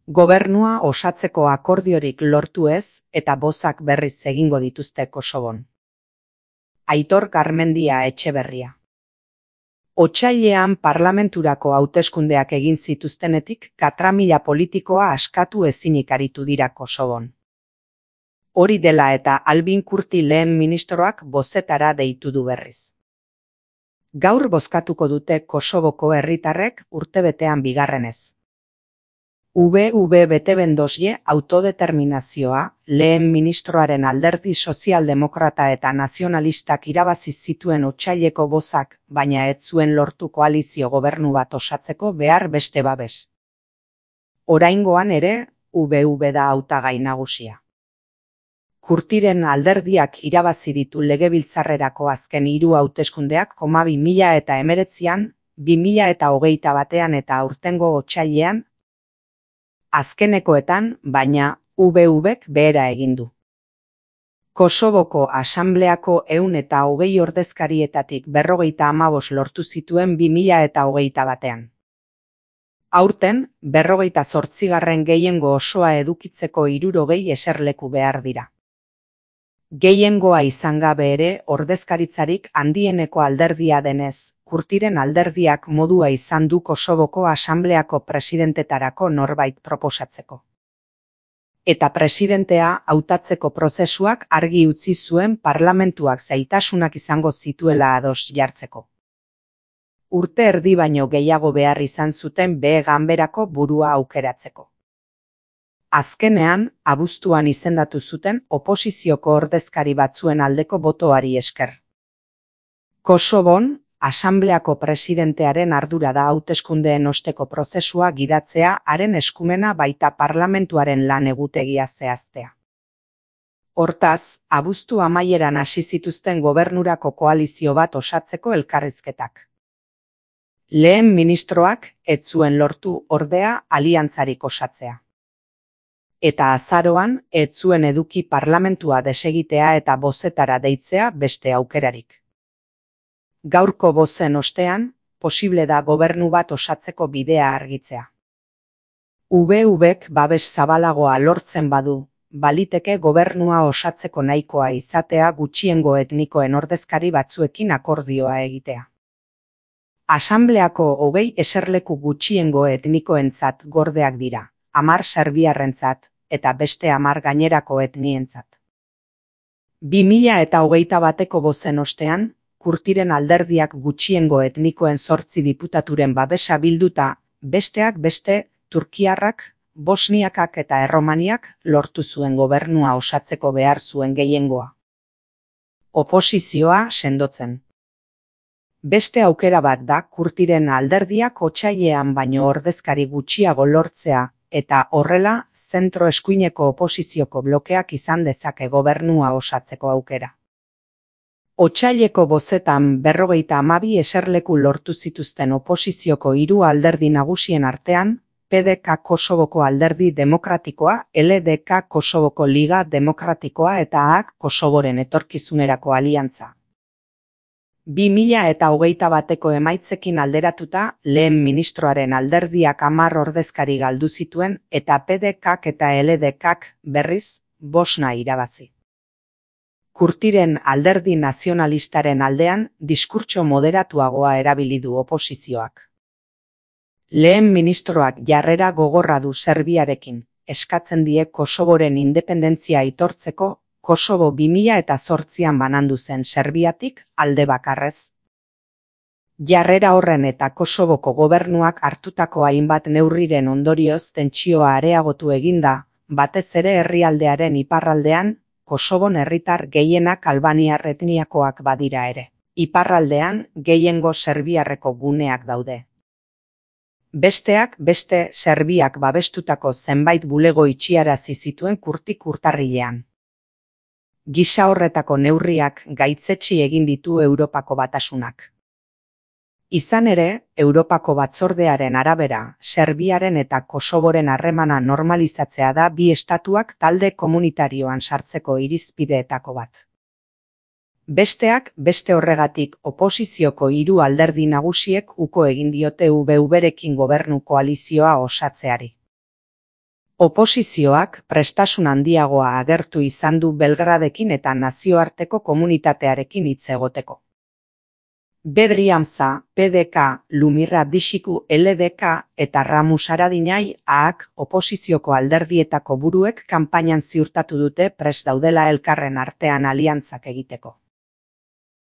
Gobernua osatzeko akordiorik lortu ez eta bozak berriz egingo dituzte Kosovon. Aitor Garmendia Etxeberria. Otsailean parlamenturako hauteskundeak egin zituztenetik katramila politikoa askatu ezinik aritu dira Kosovon. Hori dela eta Albin Kurti lehen ministroak bozetara deitu du berriz. Gaur bozkatuko dute Kosovoko herritarrek urtebetean bigarrenez. Betebendosje autodeterminazioa lehen ministroaren alderdi sozialdemokrata eta nazionalistak irabazi zituen otsaileko bozak, baina ez zuen lortu koalizio gobernu bat osatzeko behar beste babes. Oraingoan ere, da hautagai nagusia. Kurtiren alderdiak irabazi ditu legebiltzarrerako azken 3 hauteskundeak 2019an, 2021an eta aurtengo otsailean, azkenekoetan, baina VVk behera egin du. Kosovoko Asambleako 120 ordezkarietatik 55 lortu zituen 2021an. Aurten, 58. gehiengo osoa edukitzeko 60 eserleku behar dira. Gehiengoa izan gabe ere ordezkaritzarik handieneko alderdia denez, Kurtiren alderdiak modua izan du Kosovoko Asambleako presidentetarako norbait proposatzeko. Eta presidentea hautatzeko prozesuak argi utzi zuen parlamentuak zailtasunak izango zituela ados jartzeko. Urte erdi baino gehiago behar izan zuten ganberako burua aukeratzeko. Azkenean, abuztuan izendatu zuten oposizioko ordezkari batzuen aldeko botoari esker. Kosovon, Asambleako presidentearen ardura da hauteskundeen osteko prozesua gidatzea, haren eskumena baita parlamentuaren lan egutegia zehaztea. Hortaz, abuztu amaieran hasi zituzten gobernurako koalizio bat osatzeko elkarrizketak. Lehen ministroak ez zuen lortu ordea aliantzarik osatzea. Eta azaroan ez zuen eduki parlamentua desegitea eta bozetara deitzea beste aukerarik. Gaurko bozen ostean, posible da gobernu bat osatzeko bidea argitzea. VVk babes zabalagoa lortzen badu, baliteke gobernua osatzeko nahikoa izatea gutxiengo etnikoen ordezkari batzuekin akordioa egitea. Asambleako 20 eserleku gutxiengo etnikoentzat gordeak dira, 10 serbiarrentzat eta beste 10 gainerako etnientzat. 2021ko bozen ostean, Kurtiren alderdiak gutxiengo etnikoen 8 diputaturen babesa bilduta, besteak beste, turkiarrak, bosniakak eta erromaniak lortu zuen gobernua osatzeko behar zuen gehiengoa. Oposizioa sendotzen. Beste aukera bat da Kurtiren alderdiak otsailean baino ordezkari gutxiago lortzea, eta horrela, zentro eskuineko oposizioko blokeak izan dezake gobernua osatzeko aukera. Otsaileko bozetan 52 eserleku lortu zituzten oposizioko 3 alderdi nagusien artean, PDK Kosovoko Alderdi Demokratikoa, LDK Kosovoko Liga Demokratikoa eta AK Kosovoren etorkizunerako aliantza. 2021ko emaitzekin alderatuta, lehen ministroaren alderdiak 10 ordezkari galdu zituen eta PDKk eta LDKk berriz 5 irabazi. Kurtiren alderdi nazionalistaren aldean diskurtso moderatuagoa erabili du oposizioak. Lehen ministroak jarrera gogorra du Serbiarekin, eskatzen die Kosovoren independentzia aitortzeko, Kosovo 2008an banandu zen Serbiatik alde bakarrez. Jarrera horren eta Kosovoko gobernuak hartutako hainbat neurriren ondorioz tentsioa areagotu eginda, batez ere herrialdearen iparraldean, Kosovon herritar gehienak albaniar etniakoak badira ere. Iparraldean gehiengo serbiarreko guneak daude. Besteak beste Serbiak babestutako zenbait bulego itxiarazi zituen Kurtik urtarrilean. Gisa horretako neurriak gaitzetsi egin ditu Europako Batasunak. Izan ere, Europako Batzordearen arabera, Serbiaren eta Kosovoren harremana normalizatzea da bi estatuak talde komunitarioan sartzeko irizpideetako bat. Besteak beste horregatik oposizioko 3 alderdi nagusiek uko egin diote VVrekin gobernu koalizioa osatzeari. Oposizioak prestasun handiagoa agertu izan du Belgradekin eta nazioarteko komunitatearekin hitz egoteko. Bedriantza, PDK, Lumirra Bixiku LDK eta Ramus Haradinaj AAK oposizioko alderdietako buruek kanpainan ziurtatu dute prest daudela elkarren artean aliantzak egiteko.